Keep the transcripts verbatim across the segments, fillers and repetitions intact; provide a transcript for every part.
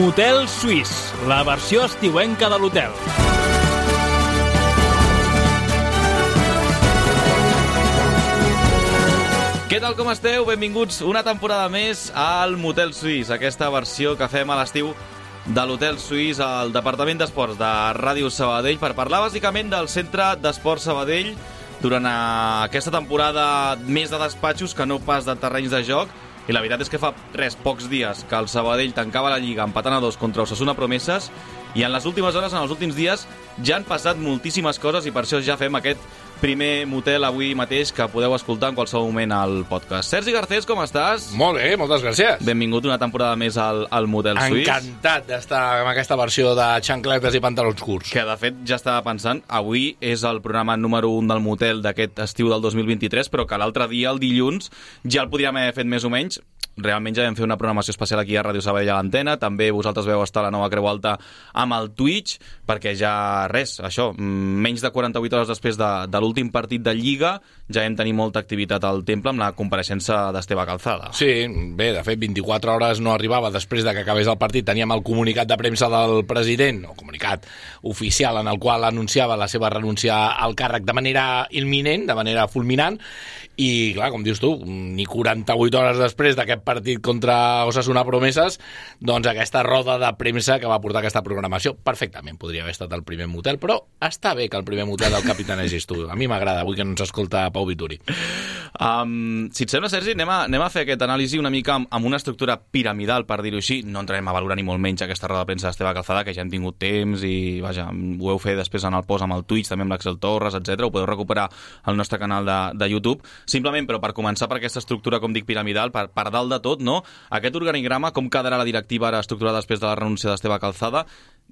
Motel Suís, la versió estiuenca de l'hotel. Què tal, com esteu? Benvinguts una temporada més al Motel Suís, aquesta versió que fem a l'estiu de l'Hotel Suís al Departament d'Esports de Ràdio Sabadell per parlar bàsicament del Centre d'Esports Sabadell durant aquesta temporada més de despatxos que no pas de terrenys de joc. I la veritat és que fa res, pocs dies que el Sabadell tancava la Lliga empatant a dos contra Osasuna Promeses i en les últimes hores, en els últims dies, ja han passat moltíssimes coses i per això ja fem aquest primer motel avui mateix que podeu escoltar en qualsevol moment al podcast. Sergi Garcés, com estàs? Molt bé, moltes gràcies. Benvingut una temporada més al, al Motel Suís. Encantat d'estar amb aquesta versió de xancletes i pantalons curts. Que, de fet, ja estava pensant, avui és el programa número un del motel d'aquest estiu del dos mil vint-i-tres, però que l'altre dia, el dilluns, ja el podríem haver fet més o menys. Realment ja vam fer una programació especial aquí a Ràdio Sabadell a l'antena. També vosaltres veu estar a la nova Creu Alta amb el Twitch, perquè ja res, això, menys de quaranta-vuit hores després de, de l'últim partit de Lliga, ja hem tenir molta activitat al temple amb la compareixença d'Esteve Calzada. Sí, bé, de fet, vint-i-quatre hores no arribava després de que acabés el partit. Teníem el comunicat de premsa del president, o comunicat oficial, en el qual anunciava la seva renúncia al càrrec de manera imminent, de manera fulminant, i, clar, com dius tu, ni quaranta-vuit hores després d'aquest partit contra Osasuna Promeses, doncs aquesta roda de premsa que va portar aquesta programació. Perfectament podria haver estat el primer motel, però està bé que el primer motel del capitanegis tu. A mi m'agrada, avui que no ens escolta Pau Vituri. Um, si et sembla, Sergi, anem a, anem a fer aquest anàlisi una mica amb, amb una estructura piramidal, per dir-ho així. No entrarem a valorar ni molt menys aquesta roda de premsa d'Esteve Calzada, que ja hem tingut temps i, vaja, ho heu fet després en el post amb el Twitch, també amb l'Axel Torres, etcètera. Ho podeu recuperar al nostre canal de, de YouTube. Simplement, però per començar per aquesta estructura, com dic, piramidal, per, per dalt de tot, no? Aquest organigrama, com quedarà la directiva ara estructurada després de la renúncia d'Esteve Calzada?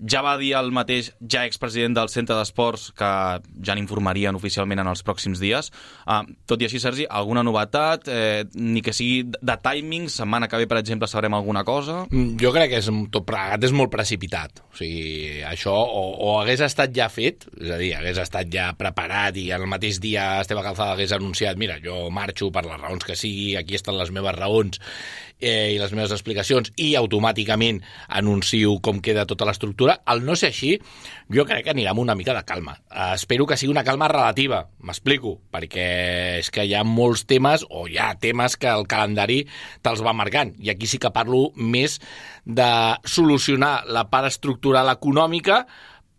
Ja va dir el mateix ja expresident del Centre d'Esports que ja n'informarien oficialment en els pròxims dies. Uh, tot i així, Sergi, alguna novetat? Eh, ni que sigui de timing? Setmana que ve, per exemple, sabrem alguna cosa? Jo crec que és, tot plegat és molt precipitat. O sigui, això o, o hagués estat ja fet, és a dir, hagués estat ja preparat i el mateix dia Esteve Calzada hagués anunciat, mira, jo marxo per les raons que sigui, aquí estan les meves raons eh, i les meves explicacions, i automàticament anuncio com queda tota l'estructura. Al no ser així, jo crec que anirà amb una mica de calma. Uh, espero que sigui una calma relativa, m'explico, perquè és que hi ha molts temes, o hi ha temes que el calendari te'ls va marcant, i aquí sí que parlo més de solucionar la part estructural econòmica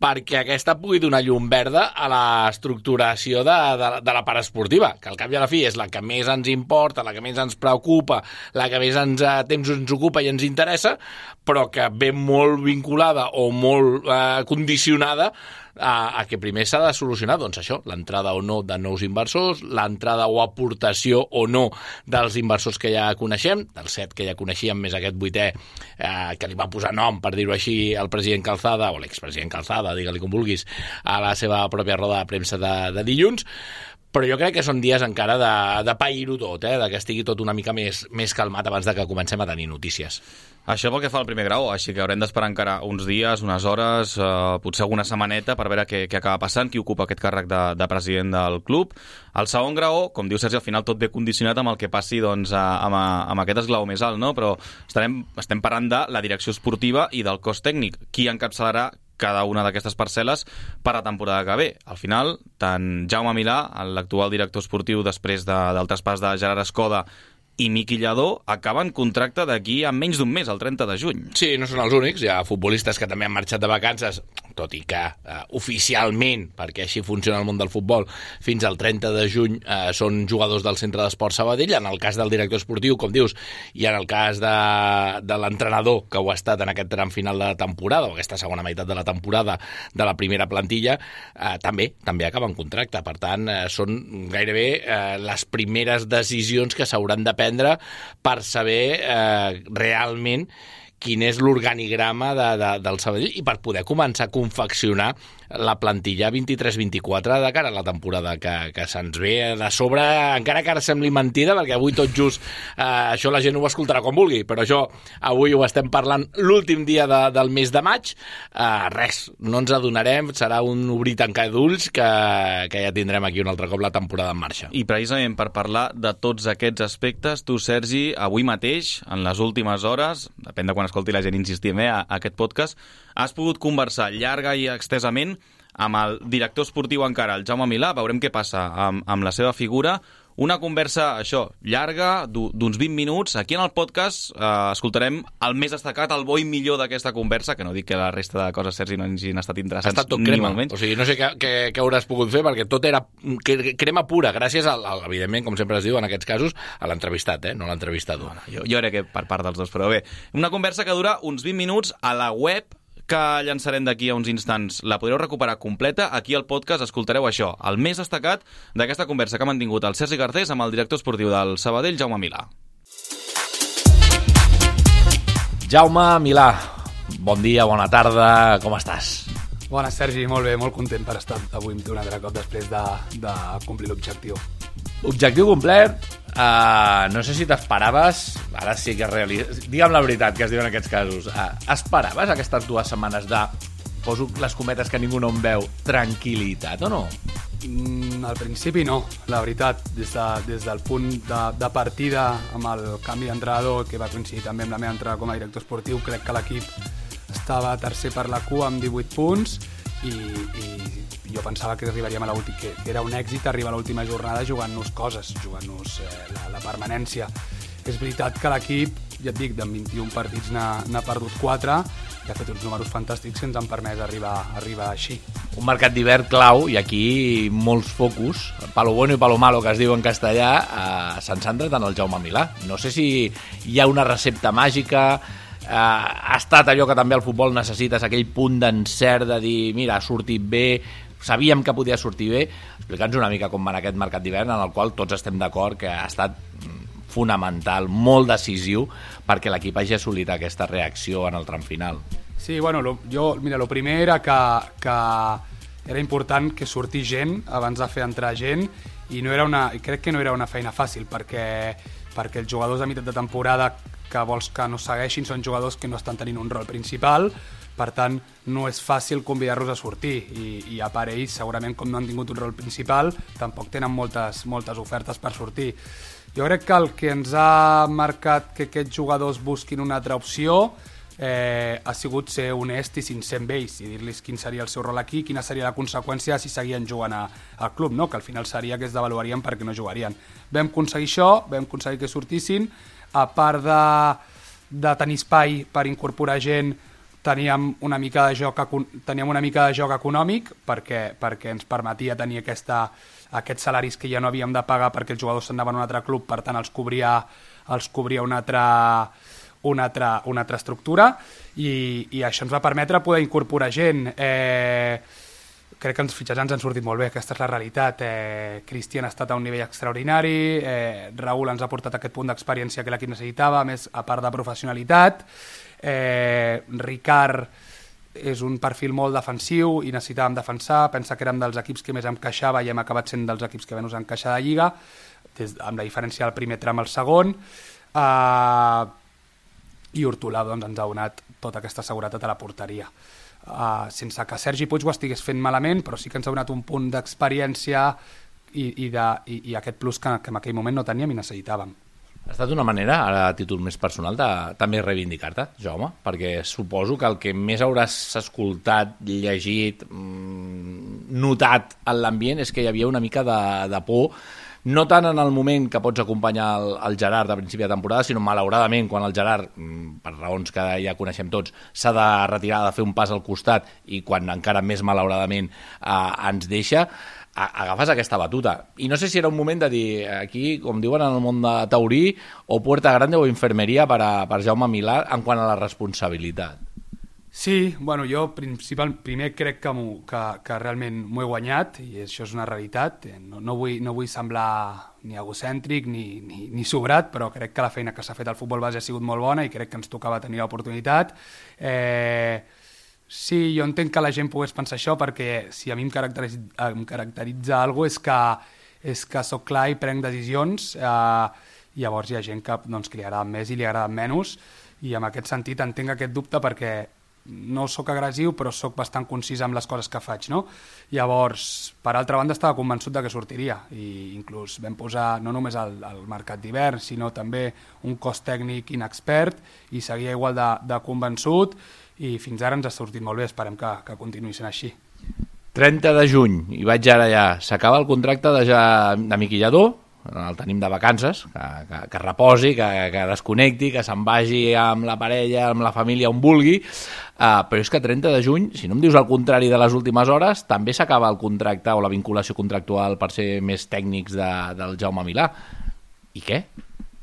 perquè aquesta pugui donar llum verda a l'estructuració de, de, de la part esportiva, que al cap i a la fi és la que més ens importa, la que més ens preocupa, la que més ens, a temps ens ocupa i ens interessa, però que ve molt vinculada o molt eh, condicionada a, a que primer s'ha de solucionar, doncs això, l'entrada o no de nous inversors, l'entrada o aportació o no dels inversors que ja coneixem, dels set que ja coneixíem, més aquest vuitè eh, que li va posar nom, per dir-ho així, el president Calzada, o l'expresident Calzada, digue-li com vulguis, a la seva pròpia roda de premsa de, de dilluns. Però jo crec que són dies encara de, de pair-ho tot, eh? De que estigui tot una mica més, més calmat abans de que comencem a tenir notícies. Això pel que fa al primer grau, així que haurem d'esperar encara uns dies, unes hores, eh, potser alguna setmaneta per veure què, què acaba passant, qui ocupa aquest càrrec de, de president del club. El segon grau, com diu Sergi, al final tot ve condicionat amb el que passi doncs, amb, amb aquest esglaó més alt, no? Però estarem, estem parlant de la direcció esportiva i del cos tècnic. Qui encapçalarà cada una d'aquestes parcel·les per a la temporada que ve. Al final, tant Jaume Milà, l'actual director esportiu després de, del traspàs de Gerard Escoda, i Miqui Lladó acaben contracte d'aquí a menys d'un mes, el trenta de juny. Sí, no són els únics, hi ha futbolistes que també han marxat de vacances, tot i que eh, oficialment, perquè així funciona el món del futbol, fins al trenta de juny eh, són jugadors del Centre d'Esports Sabadell, en el cas del director esportiu, com dius, i en el cas de, de l'entrenador, que ho ha estat en aquest tram final de la temporada, o aquesta segona meitat de la temporada de la primera plantilla, eh, també, també acaben contracte. Per tant, eh, són gairebé eh, les primeres decisions que s'hauran de prendre per saber eh, realment quin és l'organigrama de, de, del Sabadell i per poder començar a confeccionar la plantilla vint-i-tres vint-i-quatre de cara a la temporada que, que se'ns ve de sobre, encara que ara sembli mentida, perquè avui tot just eh, això la gent ho escoltarà com vulgui, però això avui ho estem parlant l'últim dia de, del mes de maig, eh, res, no ens adonarem, serà un obrir tancar d'ulls que, que ja tindrem aquí un altre cop la temporada en marxa. I precisament per parlar de tots aquests aspectes, tu, Sergi, avui mateix, en les últimes hores, depèn de quan l'escolti la gent, insistim, eh, a, a aquest podcast, has pogut conversar llarga i extensament amb el director esportiu encara, el Jaume Milà. Veurem què passa amb, amb la seva figura. Una conversa, això, llarga, d'uns vint minuts. Aquí en el podcast eh, escoltarem el més destacat, el bo i millor d'aquesta conversa, que no dic que la resta de coses, Sergi, no hagin estat interessants. Ha estat tot crema. O sigui, no sé què, què, què hauràs pogut fer, perquè tot era crema pura, gràcies, al, al, evidentment, com sempre es diu en aquests casos, a l'entrevistat, eh? No a l'entrevistador. No, no, jo, jo crec que per part dels dos, però bé. Una conversa que dura uns vint minuts a la web, que llançarem d'aquí a uns instants. La podreu recuperar completa. Aquí al podcast escoltareu això, el més destacat d'aquesta conversa que ha mantingut el Sergi Garcés amb el director esportiu del Sabadell, Jaume Milà. Jaume Milà, bon dia, bona tarda, com estàs? Bona, Sergi, molt bé, molt content per estar avui un altre cop després de, de complir l'objectiu. Objectiu complet, uh, no sé si t'esperaves, ara sí que és realista, digue'm la veritat que es diu en aquests casos, uh, esperaves aquestes dues setmanes de, poso les cometes que ningú no em veu, tranquil·litat o no? Mm, al principi no, la veritat, des, de, des del punt de, de partida amb el canvi d'entrenador, que va coincidir també amb la meva entrada com a director esportiu, crec que l'equip estava tercer per la cua amb divuit punts i, i jo pensava que arribaríem a l'última, que era un èxit arribar a l'última jornada jugant-nos coses, jugant-nos eh, la, la permanència. És veritat que l'equip, ja et dic, d'en vint-i-un partits n'ha perdut quatre, que ha fet uns números fantàstics que ens han permès arribar, arribar així. Un mercat d'hivern clau, i aquí molts focus, palo bueno i palo malo, que es diu en castellà, eh, s'han centrat en el Jaume Milà. No sé si hi ha una recepta màgica, eh, ha estat allò que també el futbol necessites, aquell punt d'encert de dir, mira, ha sortit bé, sabíem que podia sortir bé. Explica'ns una mica com va aquest mercat d'hivern, en el qual tots estem d'acord que ha estat fonamental, molt decisiu, perquè l'equip hagi assolit aquesta reacció en el tram final. Sí, bueno, lo, jo, mira, el primer era que, que era important que sortís gent abans de fer entrar gent, i no era una, crec que no era una feina fàcil, perquè, perquè els jugadors a meitat de temporada que vols que no segueixin són jugadors que no estan tenint un rol principal, per tant, no és fàcil convidar-los a sortir i, i a part ells, segurament com no han tingut un rol principal, tampoc tenen moltes, moltes ofertes per sortir. Jo crec que el que ens ha marcat que aquests jugadors busquin una altra opció eh, ha sigut ser honest i sincer amb ells i dir-los quin seria el seu rol aquí, quina seria la conseqüència si seguien jugant a, al club, no? Que al final seria que es devaluarien perquè no jugarien. Vam aconseguir això, vam aconseguir que sortissin, a part de, de tenir espai per incorporar gent, teníem una mica de joc, teníem una mica de joc econòmic perquè, perquè ens permetia tenir aquesta, aquests salaris que ja no havíem de pagar perquè els jugadors s'anaven a un altre club, per tant els cobria, els cobria una altra, una altra, una altra estructura i, i això ens va permetre poder incorporar gent. Eh, crec que els fitxatges ens han sortit molt bé, aquesta és la realitat. Eh, Cristian ha estat a un nivell extraordinari, eh, Raúl ens ha portat aquest punt d'experiència que l'equip necessitava, a més a part de professionalitat. Eh, Ricard és un perfil molt defensiu i necessitàvem defensar, pensa que érem dels equips que més encaixava i hem acabat sent dels equips que menys encaixar de Lliga, des, amb la diferència del primer tram al segon. Eh, i Hortolà doncs, ens ha donat tota aquesta seguretat a la porteria. Uh, sense que Sergi Puig ho estigués fent malament, però sí que ens ha donat un punt d'experiència i, i, de, i, i aquest plus que, que en aquell moment no teníem i necessitàvem. Ha estat una manera, ara a títol més personal, de també reivindicar-te, Jaume, perquè suposo que el que més hauràs escoltat, llegit, notat en l'ambient és que hi havia una mica de, de por, no tant en el moment que pots acompanyar el, el Gerard a principi de temporada, sinó malauradament quan el Gerard, per raons que ja coneixem tots, s'ha de retirar, de fer un pas al costat i quan encara més malauradament eh, ens deixa, agafes aquesta batuta. I no sé si era un moment de dir, aquí, com diuen en el món de taurí, o puerta grande o infermeria per, a, per Jaume Milà en quant a la responsabilitat. Sí, bueno, jo principal, primer crec que, que, que realment m'ho he guanyat i això és una realitat. No, no, vull, no vull semblar ni egocèntric ni, ni, ni sobrat, però crec que la feina que s'ha fet al futbol base ha sigut molt bona i crec que ens tocava tenir l'oportunitat. Eh, sí, jo entenc que la gent pogués pensar això perquè si a mi em caracteritza, em caracteritza alguna cosa és que, és que soc clar i prenc decisions, eh, llavors hi ha gent que, doncs, que li agrada més i li agrada menys i en aquest sentit entenc aquest dubte perquè no sóc agressiu, però sóc bastant concís amb les coses que faig, no? Llavors, per altra banda, estava convençut de que sortiria, i inclús vam posar no només el, el mercat d'hivern, sinó també un cos tècnic inexpert, i seguia igual de, de convençut, i fins ara ens ha sortit molt bé, esperem que, que continuï sent així. trenta de juny, i vaig ara ja, s'acaba el contracte de, ja, de Miqui Lladó, el tenim de vacances, que, que, que reposi, que, que desconnecti, que se'n vagi amb la parella, amb la família, on vulgui, uh, però és que trenta de juny, si no em dius el contrari de les últimes hores, també s'acaba el contracte o la vinculació contractual per ser més tècnics de, del Jaume Milà. I què?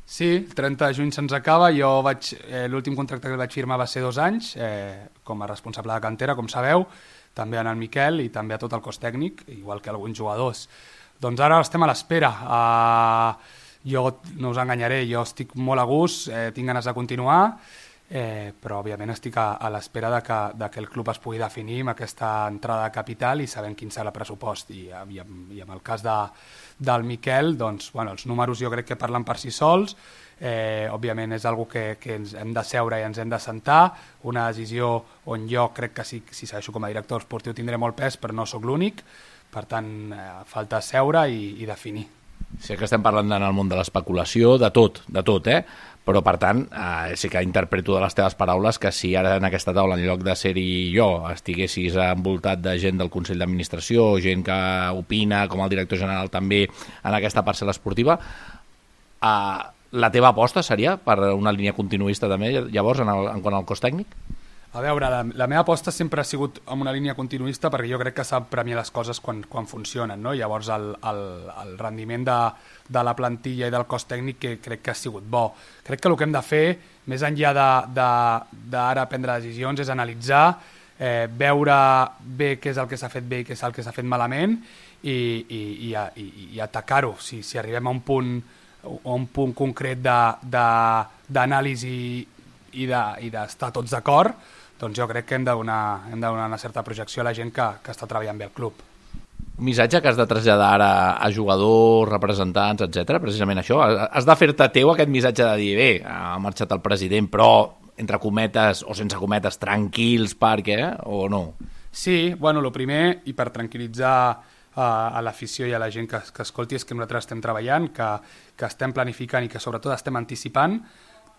Sí, el trenta de juny se'ns acaba, jo vaig, eh, l'últim contracte que vaig firmar va ser dos anys, eh, com a responsable de cantera, com sabeu, també en el Miquel i també a tot el cos tècnic, igual que alguns jugadors. Doncs ara estem a l'espera. Uh, jo no us enganyaré, jo estic molt a gust, eh, tinc ganes de continuar, eh, però òbviament estic a, a l'espera de que, de que el club es pugui definir amb aquesta entrada de capital i sabent quin serà el pressupost. I, i, i en el cas de, del Miquel, doncs, bueno, els números jo crec que parlen per si sols, eh, òbviament és una que, que ens hem de seure i ens hem de sentar, una decisió on jo crec que si, si segueixo com a director esportiu tindré molt pes, però no sóc l'únic. Per tant, eh, falta seure i, i definir. Sé que estem parlant en el món de l'especulació, de tot, de tot, eh? Però, per tant, eh, sí que interpreto de les teves paraules que si ara en aquesta taula, en lloc de ser-hi jo, estiguessis envoltat de gent del Consell d'Administració, gent que opina, com el director general també, en aquesta parcel·la esportiva, eh, la teva aposta seria per una línia continuista també, llavors, en, el, en quant al cos tècnic? A veure, la, la meva aposta sempre ha sigut amb una línia continuista perquè jo crec que s'ha premiar les coses quan, quan funcionen, no? Llavors el, el, el rendiment de, de la plantilla i del cos tècnic que crec que ha sigut bo. Crec que el que hem de fer, més enllà d'ara prendre decisions, és analitzar, eh, veure bé què és el que s'ha fet bé i què és el que s'ha fet malament i, i, i, i, i atacar-ho. Si, si arribem a un punt, a un punt concret d'anàlisi i d'estar de, tots d'acord, doncs jo crec que hem de donar, hem de donar una certa projecció a la gent que, que està treballant bé al club. Un missatge que has de traslladar ara a jugadors, representants, etcètera, precisament això. Has de fer-te teu aquest missatge de dir, bé, ha marxat el president, però, entre cometes o sense cometes, tranquils, perquè, o no? Sí, bueno, el primer, i per tranquil·litzar a, a l'afició i a la gent que, que escolti, és que nosaltres estem treballant, que, que estem planificant i que sobretot estem anticipant,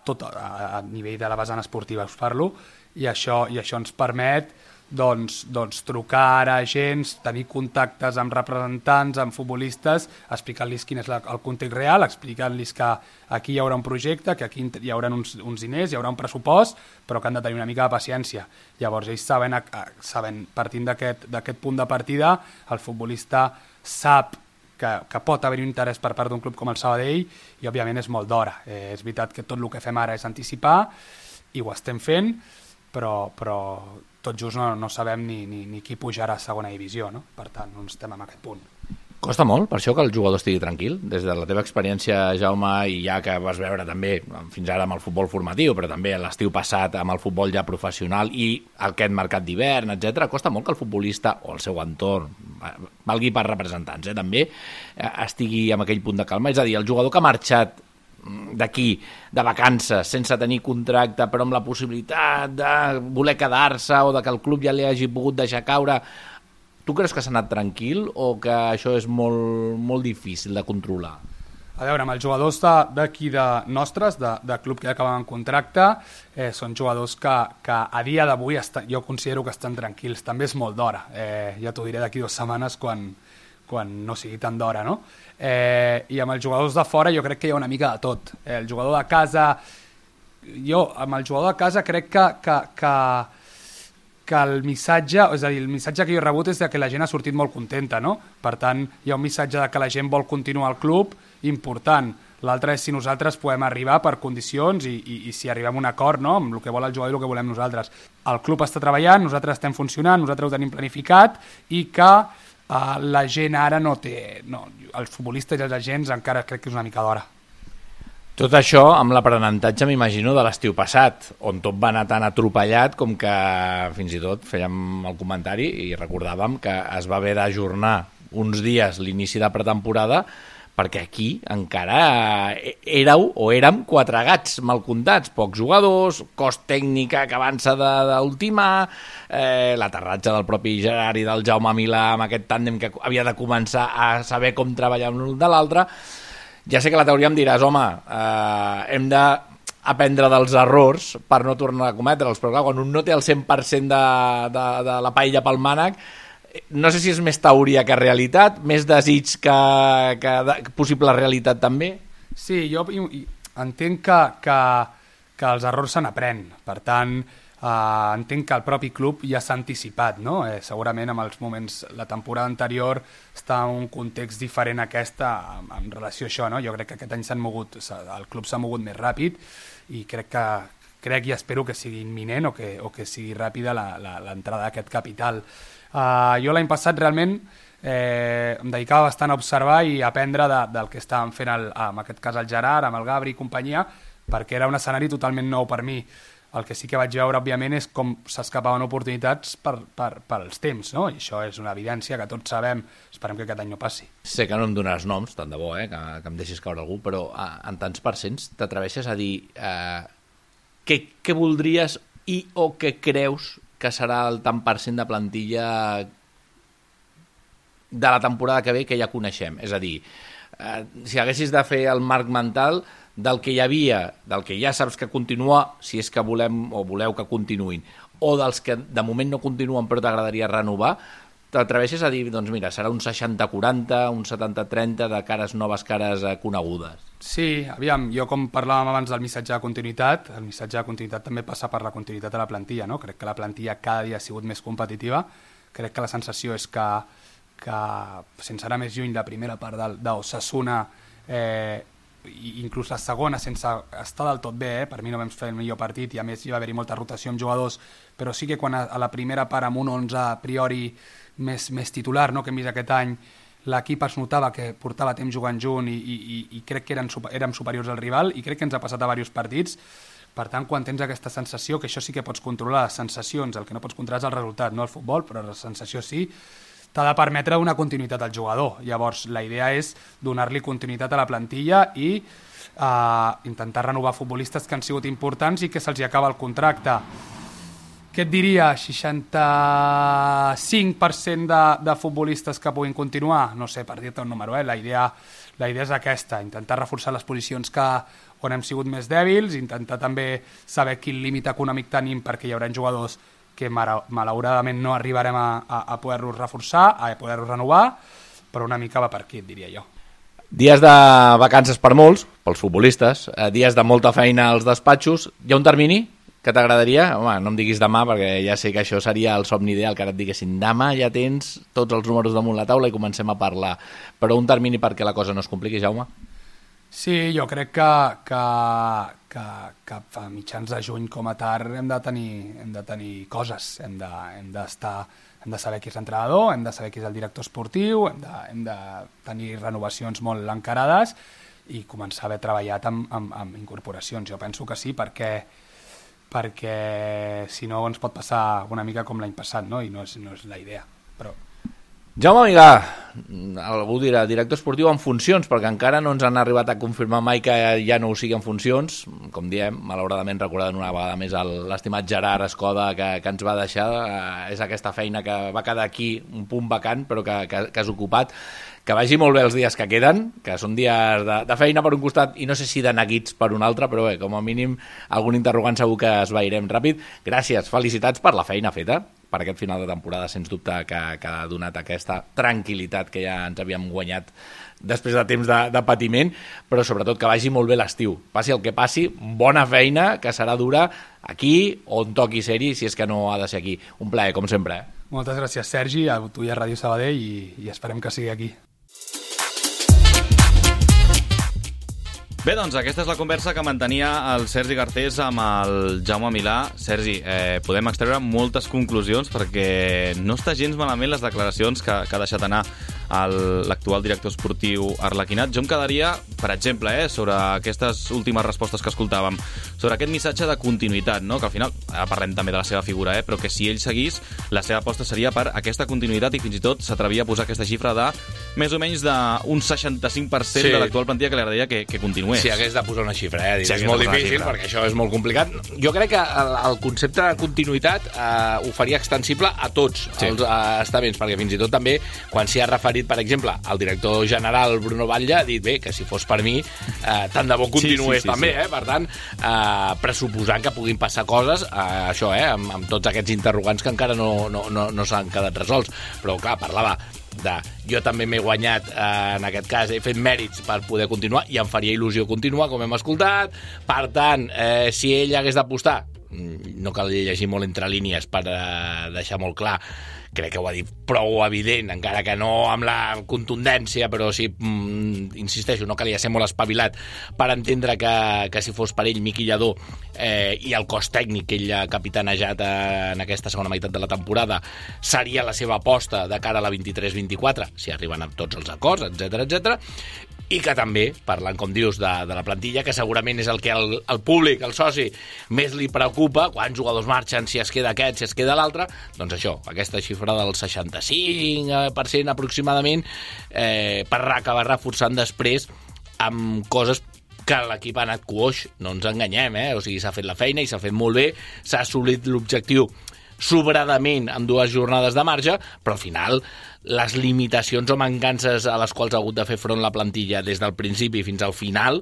tot a, a nivell de la vessant esportiva us parlo, i això, i això ens permet doncs, doncs, trucar a agents, tenir contactes amb representants, amb futbolistes, explicant-los quin és la, el context real, explicant-los que aquí hi haurà un projecte, que aquí hi haurà uns, uns diners, hi haurà un pressupost, però que han de tenir una mica de paciència. Llavors ells saben, saben partint d'aquest punt de partida, el futbolista sap que, que pot haver un interès per part d'un club com el Sabadell i òbviament és molt d'hora. Eh, és veritat que tot el que fem ara és anticipar i ho estem fent, però, però tot just no, no sabem ni, ni, ni qui pujarà a segona divisió, no? Per tant, no estem en aquest punt. Costa molt, per això, que el jugador estigui tranquil? Des de la teva experiència, Jaume, i ja que vas veure també fins ara amb el futbol formatiu, però també l'estiu passat amb el futbol ja professional i aquest mercat d'hivern, etcètera, costa molt que el futbolista o el seu entorn, valgui per representants, eh, també, estigui amb aquell punt de calma. És a dir, el jugador que ha marxat d'aquí, de vacances, sense tenir contracte, però amb la possibilitat de voler quedar-se o de que el club ja li hagi pogut deixar caure, tu creus que s'ha anat tranquil o que això és molt, molt difícil de controlar? A veure, amb els jugadors d'aquí de, de nostres, de, de club que ja acaben contracte, eh, són jugadors que, que a dia d'avui jo considero que estan tranquils. També és molt d'hora, eh, ja t'ho diré d'aquí dues setmanes quan, quan no sigui tan d'hora, no? Eh, I amb els jugadors de fora jo crec que hi ha una mica de tot. Eh, el jugador de casa, jo amb el jugador de casa crec que, que, que, que el missatge, és a dir, el missatge que jo he rebut és que la gent ha sortit molt contenta, no? Per tant, hi ha un missatge de que la gent vol continuar al club important. L'altre és si nosaltres podem arribar per condicions i, i, i si arribem a un acord, no?, amb el que vol el jugador i el que volem nosaltres. El club està treballant, nosaltres estem funcionant, nosaltres ho tenim planificat i que uh, la gent ara no té... No, els futbolistes i els agents encara crec que és una mica d'hora. Tot això amb l'aprenentatge, m'imagino, de l'estiu passat, on tot va anar tan atropellat com que fins i tot fèiem el comentari i recordàvem que es va haver d'ajornar uns dies l'inici de pretemporada perquè aquí encara éreu o érem quatre gats mal comptats, pocs jugadors, cost tècnica que avança d'última, eh, l'aterratge del propi Gerard i del Jaume Milà amb aquest tàndem que havia de començar a saber com treballar l'un de l'altre. Ja sé que la teoria em diràs, home, eh, hem d'aprendre dels errors per no tornar a cometre'ls, però clar, quan un no té el cent per cent de, de, de la paella pel mànec, no sé si és més teoria que realitat, més desig que, que, que possible realitat també. Sí, jo entenc que, que, que els errors se n'aprèn. Per tant, eh, entenc que el propi club ja s'ha anticipat, no? Eh, segurament amb els moments, la temporada anterior està en un context diferent a aquesta en, en relació a això, no? Jo crec que aquest any s'han mogut, el club s'ha mogut més ràpid i crec que crec i espero que sigui imminent o que, o que sigui ràpida l'entrada d'aquest capital. Uh, jo l'any passat realment eh, em dedicava bastant a observar i a aprendre de, del que estàvem fent el, en aquest cas el Gerard, amb el Gabri i companyia, perquè era un escenari totalment nou per mi. El que sí que vaig veure, òbviament, és com s'escapaven oportunitats per, per, per als temps, no? I això és una evidència que tots sabem, esperem que aquest any no passi. Sé que no em donaràs noms, tant de bo, eh, que, que em deixis caure algú, però eh, en tants percents t'atreveixes a dir eh, què, què voldries i o què creus que serà el tant per cent de plantilla de la temporada que ve que ja coneixem. És a dir, eh, si haguessis de fer el marc mental del que hi havia, del que ja saps que continua, si és que volem o voleu que continuïn, o dels que de moment no continuen però t'agradaria renovar, t'atreveixes a dir, doncs mira, serà un seixanta quaranta, un setanta trenta de cares noves, cares eh, conegudes. Sí, aviam, jo com parlàvem abans del missatge de continuïtat, el missatge de continuïtat també passa per la continuïtat de la plantilla, no? Crec que la plantilla cada dia ha sigut més competitiva, crec que la sensació és que, que sense anar més lluny, la primera part d'Osasuna, eh, inclús la segona, sense estar del tot bé, eh? Per mi no vam fer el millor partit i a més hi va haver-hi molta rotació amb jugadors, però sí que quan a, a la primera part amb un onze a priori més, més titular, no? Que hem vist aquest any, l'equip es notava que portava temps jugant junt i, i, i crec que eren, érem superiors al rival i crec que ens ha passat a diversos partits. Per tant, quan tens aquesta sensació, que això sí que pots controlar, les sensacions, el que no pots controlar és el resultat, no el futbol, però la sensació sí, t'ha de permetre una continuïtat al jugador. Llavors, la idea és donar-li continuïtat a la plantilla i eh, intentar renovar futbolistes que han sigut importants i que se'ls acaba el contracte. Què et diria? seixanta-cinc per cent de, de futbolistes que puguin continuar? No sé, per dir-te un número, eh? La idea, la idea és aquesta, intentar reforçar les posicions que, on hem sigut més dèbils, intentar també saber quin límit econòmic tenim perquè hi haurà jugadors que malauradament no arribarem a, a, a poder-los reforçar, a poder-los renovar, però una mica va per aquí, et diria jo. Dies de vacances per molts, pels futbolistes, dies de molta feina als despatxos. Hi ha un termini que t'agradaria? Home, no em diguis demà, perquè ja sé que això seria el somni ideal, que ara et diguessin demà ja tens tots els números damunt la taula i comencem a parlar. Però un termini perquè la cosa no es compliqui, Jaume? Sí, jo crec que, que, que, que a mitjans de juny com a tard hem de tenir, hem de tenir coses, hem de, hem d'estar, hem de saber qui és l'entrenador, hem de saber qui és el director esportiu, hem de, hem de tenir renovacions molt encarades i començar a haver treballat amb, amb, amb incorporacions. Jo penso que sí, perquè perquè si no ens pot passar una mica com l'any passat, no? I no és, no és la idea. Però... Jaume Milà, algú dirà, director esportiu en funcions, perquè encara no ens han arribat a confirmar mai que ja no ho sigui en funcions. Com diem, malauradament recordant una vegada més l'estimat Gerard Escoda que, que ens va deixar. Eh, és aquesta feina que va quedar aquí, un punt vacant, però que, que, que has ocupat. Que vagi molt bé els dies que queden, que són dies de, de feina per un costat i no sé si de neguits per un altre, però bé, com a mínim algun interrogant segur que es veirem ràpid. Gràcies, felicitats per la feina feta, per aquest final de temporada, sens dubte, que, que ha donat aquesta tranquil·litat que ja ens havíem guanyat després de temps de, de patiment, però sobretot que vagi molt bé l'estiu. Passi el que passi, bona feina, que serà dura aquí on toqui ser-hi, si és que no ha de ser aquí. Un plaer, com sempre. Eh? Moltes gràcies, Sergi, a tu i a Ràdio Sabadell, i, i esperem que sigui aquí. Bé, doncs aquesta és la conversa que mantenia el Sergi Garcés amb el Jaume Milà. Sergi, eh, podem extreure moltes conclusions perquè no està gens malament les declaracions que, que ha deixat anar l'actual director esportiu arlequinat. Jo em quedaria, per exemple, eh, sobre aquestes últimes respostes que escoltàvem, sobre aquest missatge de continuïtat, no? Que al final, ara parlem també de la seva figura, eh, però que si ell seguís, la seva aposta seria per aquesta continuïtat i fins i tot s'atrevia a posar aquesta xifra de més o menys d'un seixanta-cinc per cent Sí. de l'actual plantilla que li agradaria que, que continués. Si hagués de posar una xifra, eh? Si és hagués molt de posar una difícil, xifra. perquè això és molt complicat. Jo crec que el, el concepte de continuïtat eh, ho faria extensible a tots Sí. els eh, estaments, perquè fins i tot també, quan s'hi ha referit, per exemple, el director general Bruno Batlle ha dit, bé, que si fos per mi, eh, tant de bo continués Sí, sí, sí, també, sí. eh? Per tant, eh, pressuposant que puguin passar coses, eh, això, eh? Amb, amb tots aquests interrogants que encara no, no, no, no s'han quedat resolts. Però, clar, parlava de jo també m'he guanyat, eh, en aquest cas he fet mèrits per poder continuar i em faria il·lusió continuar, com hem escoltat. Per tant, eh, si ell hagués d'apostar, no cal llegir molt entre línies per eh, deixar molt clar, crec que ho ha dit prou evident, encara que no amb la contundència, però sí, mm, insisteixo, no calia ser molt espavilat per entendre que, que si fos per ell Miqui Lladó eh, i el cos tècnic que ell ha capitanejat eh, en aquesta segona meitat de la temporada seria la seva aposta de cara a la vint-i-tres vint-i-quatre, si arriben a tots els acords, etcètera, etcètera. I que també, parlant, com dius, de, de la plantilla, que segurament és el que el, el públic, el soci, més li preocupa, quants jugadors marxen, si es queda aquest, si es queda l'altre, doncs això, aquesta xifra del seixanta-cinc per cent aproximadament, eh, per acabar reforçant després amb coses que l'equip ha anat coix, no ens enganyem, eh? O sigui, s'ha fet la feina i s'ha fet molt bé, s'ha assolit l'objectiu sobradament amb dues jornades de marge, però al final les limitacions o mancances a les quals ha hagut de fer front la plantilla des del principi fins al final,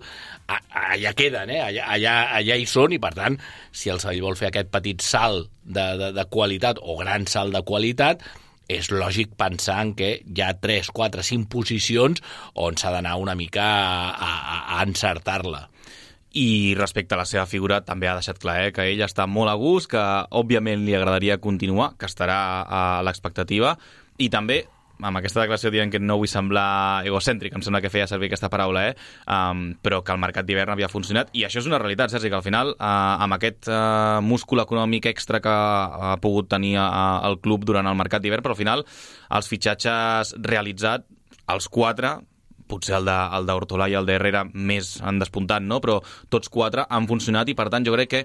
allà queden, eh? allà, allà, allà hi són, i per tant, si el Sevilla vol fer aquest petit salt de, de, de qualitat o gran salt de qualitat, és lògic pensar en que hi ha tres, quatre, cinc posicions on s'ha d'anar una mica a, a, a encertar-la. I respecte a la seva figura també ha deixat clar eh, que ell està molt a gust, que òbviament li agradaria continuar, que estarà a l'expectativa, i també amb aquesta declaració dient que no vull semblar egocèntric, em sembla que feia servir aquesta paraula, eh? um, però que el mercat d'hivern havia funcionat, i això és una realitat, Sergi, que al final, uh, amb aquest uh, múscul econòmic extra que ha pogut tenir uh, el club durant el mercat d'hivern, però al final els fitxatges realitzats, els quatre, potser el d'Hortolà i el d'Herrera més han despuntat, no? Però tots quatre han funcionat i, per tant, jo crec que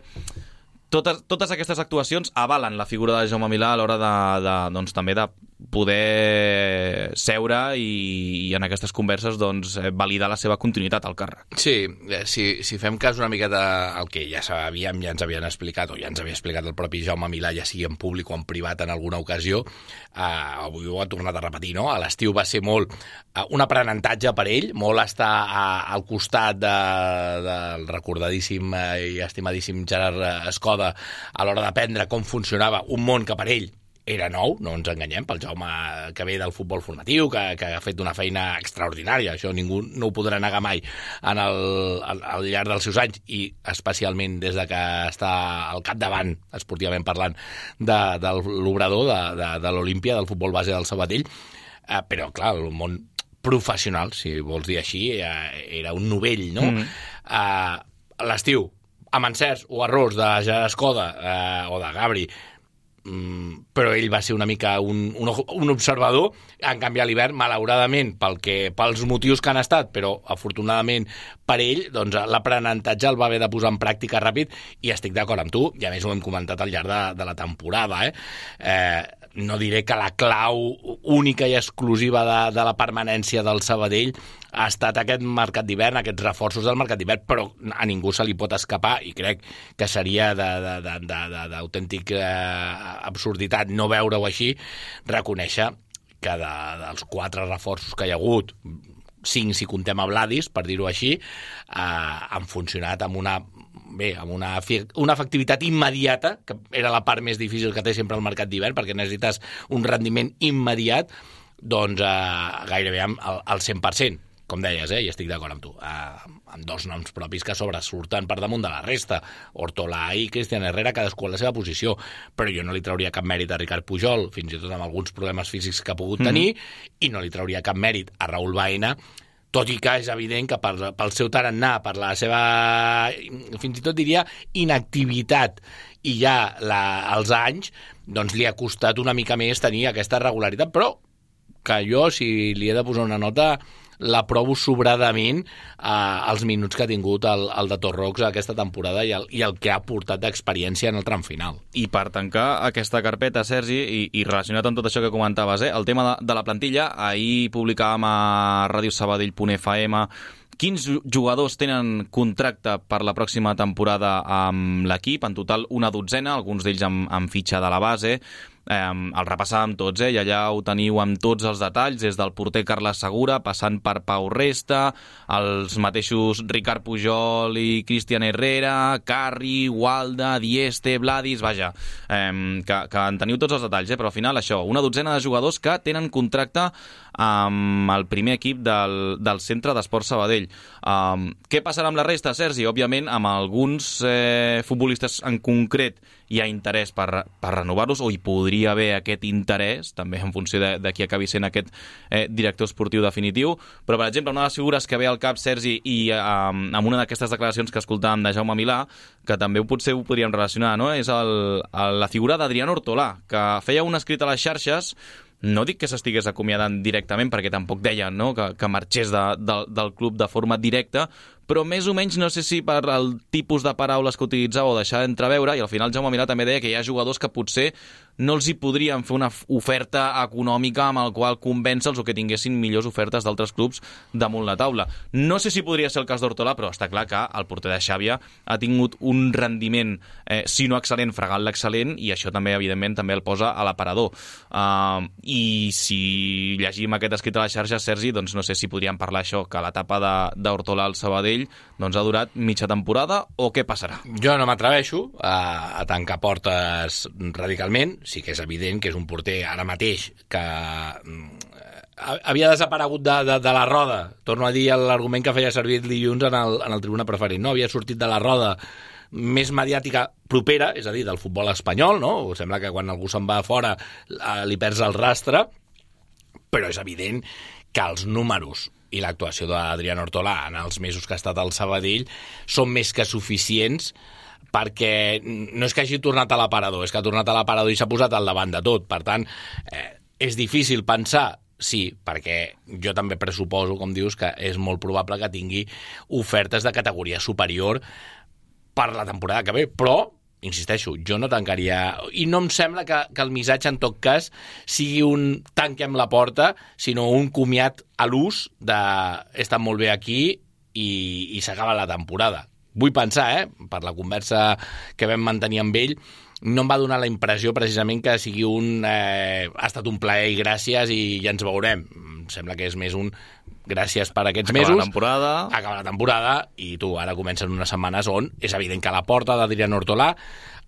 totes, totes aquestes actuacions avalen la figura de Jaume Milà a l'hora de, de, doncs, també de poder seure i, i en aquestes converses doncs, validar la seva continuïtat al càrrec. Sí, si, si fem cas una miqueta al que ja sabíem, ja ens havien explicat, o ja ens havia explicat el propi Jaume Milà, ja sigui en públic o en privat en alguna ocasió, eh, avui ho ha tornat a repetir, no? A l'estiu va ser molt eh, un aprenentatge per ell, molt estar a, al costat de, del recordadíssim eh, i estimadíssim Gerard Escoda a l'hora d'aprendre com funcionava un món que per ell era nou, no ens enganyem, pel Jaume que ve del futbol formatiu, que, que ha fet una feina extraordinària, això ningú no ho podrà negar mai en el, al, al llarg dels seus anys, i especialment des de que està al capdavant, esportivament parlant, de, de l'obrador de, de, de l'Olímpia, del futbol base del Sabadell, eh, però clar, el món professional, si vols dir així, eh, era un novell, no? Mm. Eh, l'estiu, amb encerts o errors de Gerard Escoda eh, o de Gabri, Mm, però ell va ser una mica un, un, un observador. En canvi a l'hivern, malauradament pel que, pels motius que han estat, però afortunadament per ell, doncs, l'aprenentatge el va haver de posar en pràctica ràpid, i estic d'acord amb tu, i a més ho hem comentat al llarg de, de la temporada, eh? Eh, no diré que la clau única i exclusiva de, de la permanència del Sabadell ha estat aquest mercat d'hivern, aquests reforços del mercat d'hivern, però a ningú se li pot escapar, i crec que seria d'autèntic eh, absurditat no veure-ho així, reconèixer que de, dels quatre reforços que hi ha hagut, cinc si comptem a Vladis, per dir-ho així, eh, han funcionat amb una bé, amb una, una efectivitat immediata, que era la part més difícil que té sempre el mercat d'hivern, perquè necessites un rendiment immediat, doncs eh, gairebé al, al cent per cent. Com deies, eh, i estic d'acord amb tu, eh, amb dos noms propis que sobresurten per damunt de la resta, Hortolà i Cristian Herrera, cadascú a la seva posició, però jo no li trauria cap mèrit a Ricard Pujol, fins i tot amb alguns problemes físics que ha pogut tenir, mm. i no li trauria cap mèrit a Raúl Baena, tot i que és evident que per, pel seu tarannà, per la seva, fins i tot diria, inactivitat i ja la, els anys, doncs li ha costat una mica més tenir aquesta regularitat, però que jo, si li he de posar una nota, l'aprovo sobradament eh, els minuts que ha tingut el, el de Torrox aquesta temporada i el, i el que ha portat d'experiència en el tram final. I per tancar aquesta carpeta, Sergi, i, i relacionat amb tot això que comentaves, eh, el tema de, de la plantilla, ahir publicàvem a ràdio sabadell punt f m quins jugadors tenen contracte per la pròxima temporada amb l'equip, en total una dotzena, alguns d'ells amb, amb fitxa de la base. Eh, el repassàvem tots, eh? I allà ho teniu amb tots els detalls, des del porter Carles Segura, passant per Pau Resta, els mateixos Ricard Pujol i Cristian Herrera, Carri, Walda, Dieste, Vladis, vaja, eh, que, que en teniu tots els detalls, eh? Però al final això, una dotzena de jugadors que tenen contracte amb el primer equip del, del Centre d'Esport Sabadell. Um, què passarà amb la resta, Sergi? Òbviament, amb alguns eh, futbolistes en concret hi ha interès per, per renovar-los, o hi podria haver aquest interès, també en funció de, de qui acabi sent aquest eh, director esportiu definitiu. Però, per exemple, una de les figures que ve al cap, Sergi, i eh, amb una d'aquestes declaracions que escoltàvem de Jaume Milà, que també potser ho podríem relacionar, no? És el, el, la figura d'Adrián Ortolà, que feia un escrit a les xarxes. No dic que s'estigués acomiadant directament, perquè tampoc deien, no?, que, que marxés de, de, del club de forma directa, però més o menys, no sé si per el tipus de paraules que utilitzava o deixar d'entreveure, i al final Jaume Milà també deia que hi ha jugadors que potser no els hi podrien fer una oferta econòmica amb el qual convèncer-los o que tinguessin millors ofertes d'altres clubs damunt la taula. No sé si podria ser el cas d'Ortolà, però està clar que el porter de Xàbia ha tingut un rendiment, eh, si no excel·lent, fregant l'excel·lent, i això també, evidentment, també el posa a l'aparador. Uh, I si llegim aquest escrit a la xarxa, Sergi, doncs no sé si podríem parlar això, que l'etapa d'Ortolà al Sabadell doncs ha durat mitja temporada, o què passarà? Jo no m'atreveixo a, a tancar portes radicalment. Sí que és evident que és un porter ara mateix que havia desaparegut de, de, de la roda. Torno a dir l'argument que feia servir dilluns en el, en el Tribuna Preferent. No havia sortit de la roda més mediàtica propera, és a dir, del futbol espanyol, no? Sembla que quan algú se'n va fora li perds el rastre, però és evident que els números i l'actuació d'Adrián Ortolà en els mesos que ha estat al Sabadell són més que suficients, perquè no és que hagi tornat a l'aparador, és que ha tornat a l'aparador i s'ha posat al davant de tot. Per tant, eh, és difícil pensar, sí, perquè jo també pressuposo, com dius, que és molt probable que tingui ofertes de categoria superior per la temporada que ve, però insisteixo, jo no tancaria, i no em sembla que, que el missatge en tot cas sigui un tanquem la porta, sinó un comiat a l'ús de he estat molt bé aquí i, i s'acaba la temporada. Vull pensar, eh, per la conversa que vam mantenir amb ell, no em va donar la impressió precisament que sigui un eh, ha estat un plaer i gràcies i ja ens veurem. Em sembla que és més un gràcies per aquests acaba mesos. La temporada. Acaba la temporada i tu, ara comencen unes setmanes on és evident que a la porta d'Adrián Ortolà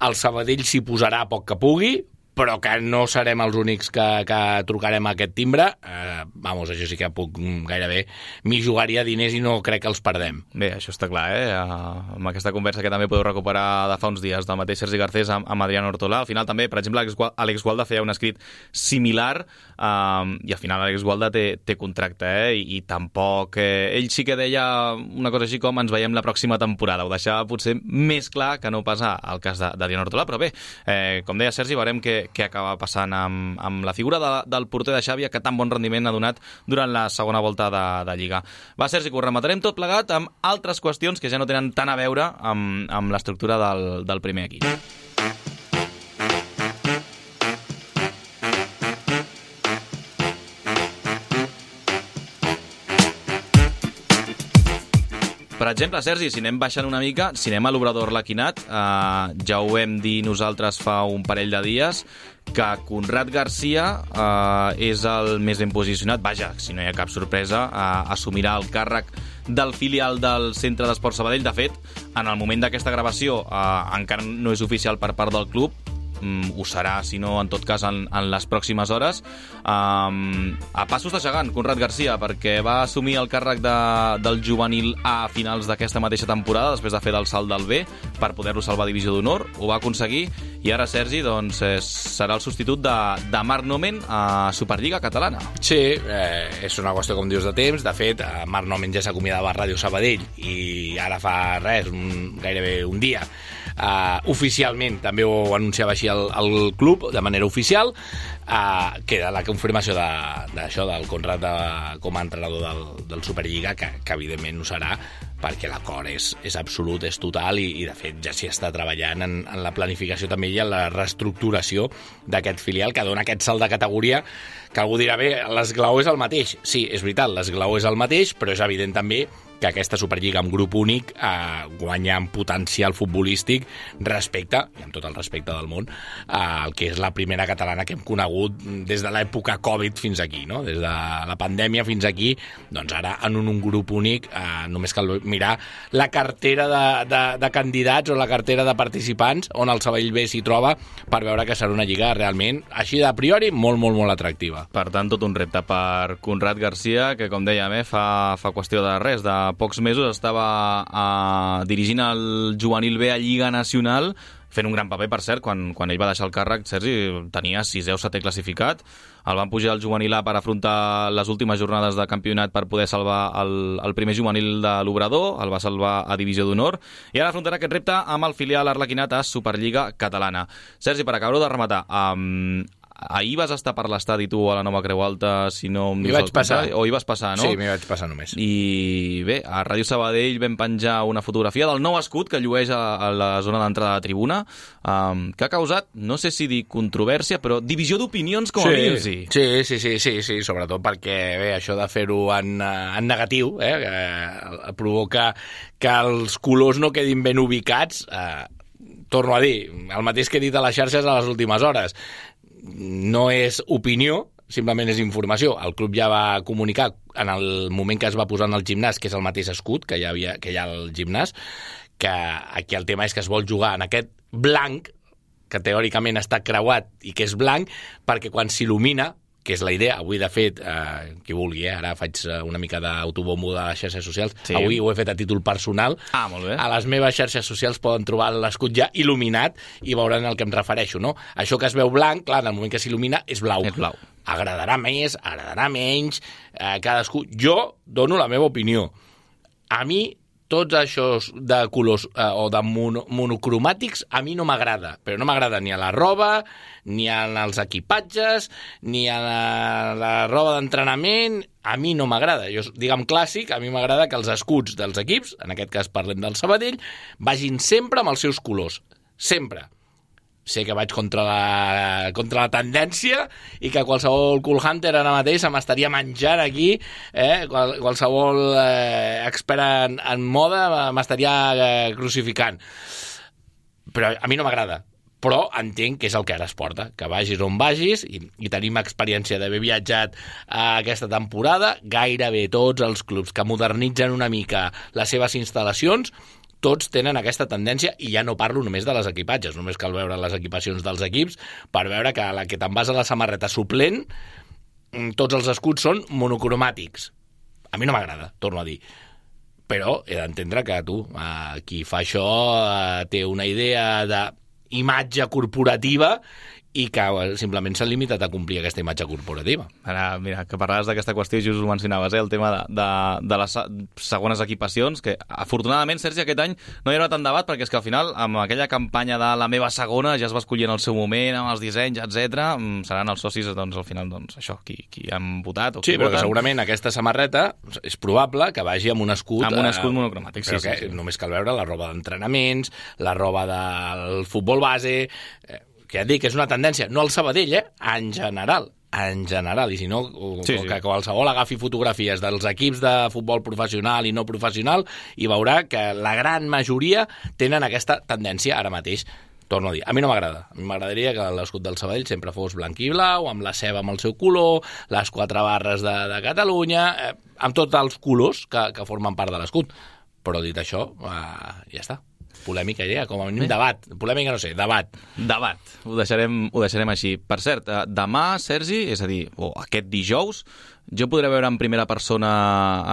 el Sabadell s'hi posarà a poc que pugui, però que no serem els únics que, que trucarem a aquest timbre. Eh, vamos, això sí que puc gairebé m'hi jugaria diners i no crec que els perdem. Bé, això està clar, eh? Amb aquesta conversa que també podeu recuperar de fa uns dies del mateix Sergi Garcés amb, amb Adrián Ortolà. Al final també, per exemple, Àlex Gualda feia un escrit similar eh, i al final Àlex Gualda té, té contracte, eh? I, i tampoc... Eh, ell sí que deia una cosa així com ens veiem la pròxima temporada. Ho deixava potser més clar que no passa al cas d'Adrián Ortolà, però bé, eh, com deia Sergi, veurem que què acaba passant amb, amb la figura de, del porter de Xàbia, que tan bon rendiment ha donat durant la segona volta de, de Lliga. Va, Sergi, que ho rematarem tot plegat amb altres qüestions que ja no tenen tant a veure amb, amb l'estructura del, del primer equip. Per exemple, Sergi, si anem baixant una mica, si anem a l'Obrador Laquinat, eh, ja ho vam dir nosaltres fa un parell de dies, que Conrad Garcia eh, és el més ben posicionat, vaja, si no hi ha cap sorpresa, eh, assumirà el càrrec del filial del Centre d'Esport Sabadell. De fet, en el moment d'aquesta gravació eh, encara no és oficial per part del club, Mm, ho serà, si no, en tot cas, en, en les pròximes hores. Um, a passos de gegant, Conrad Garcia, perquè va assumir el càrrec de, del juvenil A a finals d'aquesta mateixa temporada, després de fer del salt del B, per poder-lo salvar a Divisió d'Honor. Ho va aconseguir, i ara, Sergi, doncs, eh, serà el substitut de, de Marc Nomen a Superliga Catalana. Sí, eh, és una qüestió, com dius, de temps. De fet, Marc Nomen ja s'acomiadava a Ràdio Sabadell, i ara fa res, un, gairebé un dia, Uh, oficialment també ho anunciava així el, el club de manera oficial. Uh, que era la confirmació d'això, de, del Conrad de, com a entrenador del, del Superliga, que, que evidentment ho serà, perquè l'acord és, és absolut, és total, i, i de fet ja s'hi està treballant en, en la planificació també i en la reestructuració d'aquest filial, que dona aquest salt de categoria, que algú dirà, bé, l'esglaó és el mateix. Sí, és veritat, l'esglaó és el mateix, però és evident també que aquesta Superliga amb grup únic eh, guanya en potencial futbolístic respecte, i amb tot el respecte del món, al eh, que és la primera catalana que hem conegut des de l'època Covid fins aquí, no? Des de la pandèmia fins aquí, doncs ara en un, un grup únic eh, només cal mirar la cartera de, de, de candidats o la cartera de participants on el Sabadell B s'hi troba per veure que serà una lliga realment, així de priori, molt, molt, molt atractiva. Per tant, tot un repte per Conrad Garcia, que com dèiem, eh, fa, fa qüestió de res, de pocs mesos estava eh, dirigint el juvenil B a Lliga Nacional, fent un gran paper, per cert, quan, quan ell va deixar el càrrec, Sergi, tenia sisè o setè classificat, el van pujar al juvenil A per afrontar les últimes jornades de campionat per poder salvar el, el primer juvenil de l'Obrador, el va salvar a Divisió d'Honor, i ara afrontarà aquest repte amb el filial arlequinat a Superliga Catalana. Sergi, per acabar-ho de rematar, um, ahir vas estar per l'estadi tu a la Nova Creu Alta, si no em dius vaig passar. O hi vas passar, no? Sí, m'hi vaig passar només. I bé, a Ràdio Sabadell vam penjar una fotografia del nou escut que llueix a, a la zona d'entrada de tribuna, um, que ha causat, no sé si dir controvèrsia, però divisió d'opinions com sí, a mínim, sí. Sí, sí, sí, sí, sí, sobretot perquè bé, això de fer-ho en, en negatiu, eh, que provoca que els colors no quedin ben ubicats, eh, torno a dir, el mateix que he dit a les xarxes a les últimes hores. No és opinió, simplement és informació. El club ja va comunicar en el moment que es va posar en el gimnàs, que és el mateix escut que hi havia, que hi ha al gimnàs, que aquí el tema és que es vol jugar en aquest blanc, que teòricament està creuat i que és blanc, perquè quan s'il·lumina, que és la idea, avui de fet, eh, qui vulgui, eh, ara faig una mica d'autobombo de les xarxes socials, sí. Avui ho he fet a títol personal, ah, molt bé. A les meves xarxes socials poden trobar l'escut ja il·luminat i veuran al que em refereixo, no? Això que es veu blanc, clar, en el moment que s'il·lumina és blau. És blau. Agradarà més, agradarà menys, eh, cadascú... Jo dono la meva opinió. A mi tots això de colors eh, o de mono, monocromàtics a mi no m'agrada, però no m'agrada ni a la roba, ni als equipatges, ni a la, la roba d'entrenament, a mi no m'agrada. Jo, diguem clàssic, a mi m'agrada que els escuts dels equips, en aquest cas parlem del Sabadell, vagin sempre amb els seus colors, sempre. Sé que vaig contra la, contra la tendència i que qualsevol cool hunter ara mateix se m'estaria menjant aquí, eh? Qual, qualsevol eh, expert en, en moda m'estaria eh, crucificant. Però a mi no m'agrada. Però entenc que és el que ara es porta, que vagis on vagis, i, i tenim experiència d'haver viatjat a aquesta temporada, gairebé tots els clubs que modernitzen una mica les seves instal·lacions, tots tenen aquesta tendència, i ja no parlo només de les equipatges, només cal veure les equipacions dels equips per veure que la que te'n vas a la samarreta suplent, tots els escuts són monocromàtics. A mi no m'agrada, torno a dir. Però he d'entendre que tu, eh, qui fa això, eh, té una idea d'imatge corporativa i que simplement s'han limitat a complir aquesta imatge corporativa. Ara, mira, que parlaves d'aquesta qüestió, just ho mencionaves, eh, el tema de, de, de les segones equipacions, que afortunadament, Sergi, aquest any no hi haurà tant debat, perquè és que al final, amb aquella campanya de la meva segona, ja es va escollir en el seu moment, amb els dissenys, etcètera, seran els socis, doncs, al final, doncs, això, qui, qui han votat o qui sí, però voten. Que segurament aquesta samarreta és probable que vagi amb un escut... Amb un escut eh, monocromàtic, sí, sí, sí, sí. Només cal veure la roba d'entrenaments, la roba del futbol base... Eh, que ja et dic que és una tendència, no al Sabadell, eh? En general, en general, i si no, sí, sí. que qualsevol agafi fotografies dels equips de futbol professional i no professional i veurà que la gran majoria tenen aquesta tendència ara mateix. Torno a dir, a mi no m'agrada. A mi m'agradaria que l'escut del Sabadell sempre fos blanc i blau, amb la ceba amb el seu color, les quatre barres de, de Catalunya, eh, amb tots els colors que, que formen part de l'escut. Però dit això, eh, ja està. Polèmica idea, com a mínim eh? debat. Polèmica no sé, debat. Debat. Ho deixarem, ho deixarem així. Per cert, demà, Sergi, és a dir, o aquest dijous, Jo podré veure en primera persona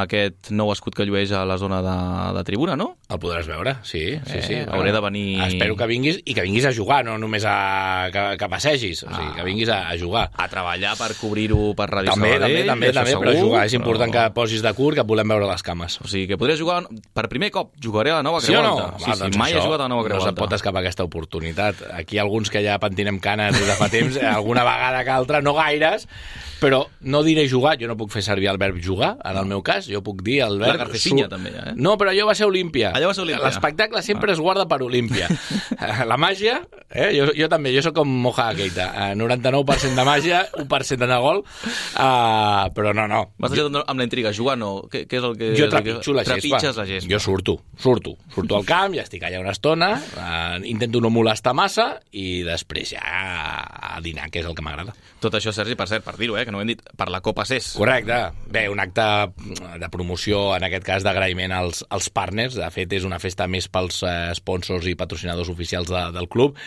aquest nou escut que llueix a la zona de, de tribuna, no? El podràs veure, sí, sí, sí. Eh, hauré de venir... Espero que vinguis i que vinguis a jugar, no només a, que, que passegis, o sigui, que vinguis a, a jugar. A treballar per cobrir-ho per Ràdio també, Sabadell. També, també, també, però jugar. És important però... que posis de curt, que volem veure les cames. O sigui, que podré jugar per primer cop. Jugaré a la nova Sí o no? Creu Alta. Sí, Va, sí, doncs mai he jugat a la nova Creu no Alta. se't pot escapar aquesta oportunitat. Aquí alguns que ja pentinem canes des de fa temps, alguna vegada que altra, no gaires, però no diré jugar, jo no puc fer servir el verb jugar, en el meu cas, jo puc dir el verb... La Garcesinya, també, eh? No, però allò va ser Olímpia. Allò va ser Olímpia. L'espectacle sempre es guarda per Olímpia. La màgia, eh? jo, jo també, jo sóc com Moja Keita, noranta-nou per cent de màgia, un per cent de gol, uh, però no, no. M'has deixat amb la intriga, jugar no? Què, què és el que... Jo trepitjo la gespa. Trepitges la gespa. Jo surto, surto. Surto al camp, ja estic allà una estona, uh, intento no molestar massa i després ja a dinar, que és el que m'agrada. Tot això, Sergi, per cert, per dir-ho, eh, que no ho hem dit, per la Copa C E S. Correcte. Bé, un acte de promoció, en aquest cas d'agraïment als, als partners. De fet, és una festa més pels eh, sponsors i patrocinadors oficials de, del club.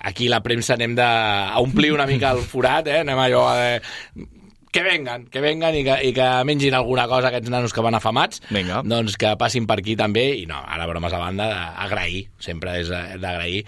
Aquí la premsa anem de, a omplir una mica el forat, eh? Anem allò a... Eh, que vengan, que vengan i que, i que mengin alguna cosa aquests nanos que van afamats. Vinga. Doncs que passin per aquí també, i no, ara bromes a banda, agrair, sempre és d'agrair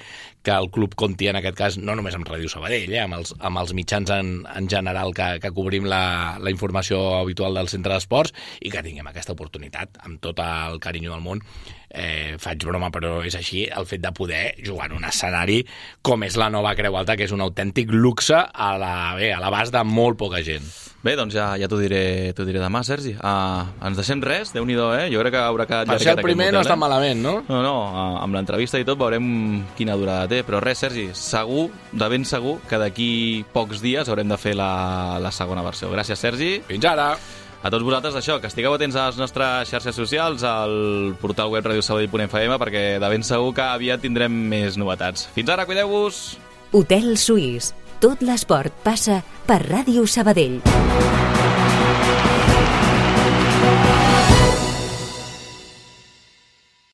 que el club compti en aquest cas no només amb Ràdio Sabadell, eh, amb, els, amb els mitjans en, en general que, que cobrim la, la informació habitual del centre d'esports i que tinguem aquesta oportunitat amb tot el carinyo del món. Eh, faig broma, però és així, el fet de poder jugar en un escenari com és la nova Creu Alta, que és un autèntic luxe a la, bé, a l'abast de molt poca gent. Bé, doncs ja, ja t'ho diré, t'ho diré demà, Sergi. Uh, ens deixem res, Déu-n'hi-do, eh? Jo crec que haurà quedat... Per ser el primer no està eh? malament, no? No, no, uh, amb l'entrevista i tot veurem quina durada té, però res, Sergi, segur, de ben segur, que d'aquí pocs dies haurem de fer la, la segona versió. Gràcies, Sergi. Fins ara! A tots vosaltres, això, que estigueu atents a les nostres xarxes socials, al portal web radio sabadell punt f m, perquè de ben segur que aviat tindrem més novetats. Fins ara, cuideu-vos! Hotel Suís. Tot l'esport passa per Ràdio Sabadell.